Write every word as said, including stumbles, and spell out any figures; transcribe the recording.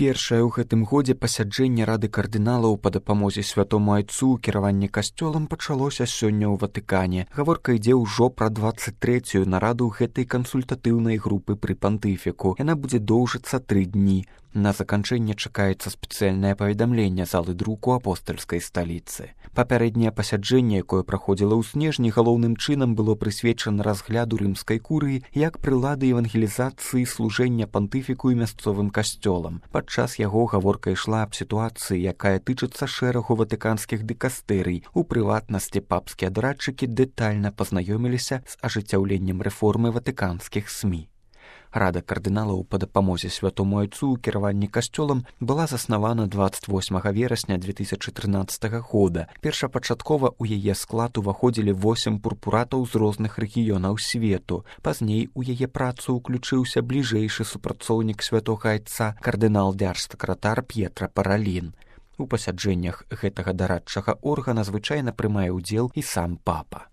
Першае ў гэтым годзе пасяджэнне Рады кардыналаў па дапамозе святому айцу ў кіраванні касцёлам пачалося сёння ў Ватыкане. Гаворка ідзе ўжо пра дваццаць трэцюю нараду гэтай кансультатыўнай групы пры пантыфіку. Яна будзе доўжыцца тры дні. На заканчэнне чакаецца спецыяльнае паведамленне залы друку апостальскай сталіцы. Папярэдняе пасяджэнне, якое праходзіла ў снежні, галоўным чынам было прысвечана разгляду рымскай курыі як прылады евангелізацыі служэння пантыфіку і мясцовым касцёлам. Падчас яго гаворка ішла аб сітуацыі, якая тычыцца шэрагу ватыканскіх дыкастэрый. У прыватнасці папскія дорадчыкі дэтальна пазнаёміліся з ажыццяўленнем рэформы ватыканскіх СМІ. Рада кардыналаў па дапамозе святому айцу ў кіраванні касцёлам была заснавана дваццаць восьмага верасня две тысячы трынаццатага года. Першапачаткова ў яе склад уваходзілі восем пурпуратаў з розных рэгіёнаў свету. Пазней у яе працу ўключыўся бліжэйшы супрацоўнік святога айца, кардынал-дзярж-сакратар П'етра Паралін. У пасяджэннях гэтага дарадчага органа звычайна прымае ўдзел і сам папа.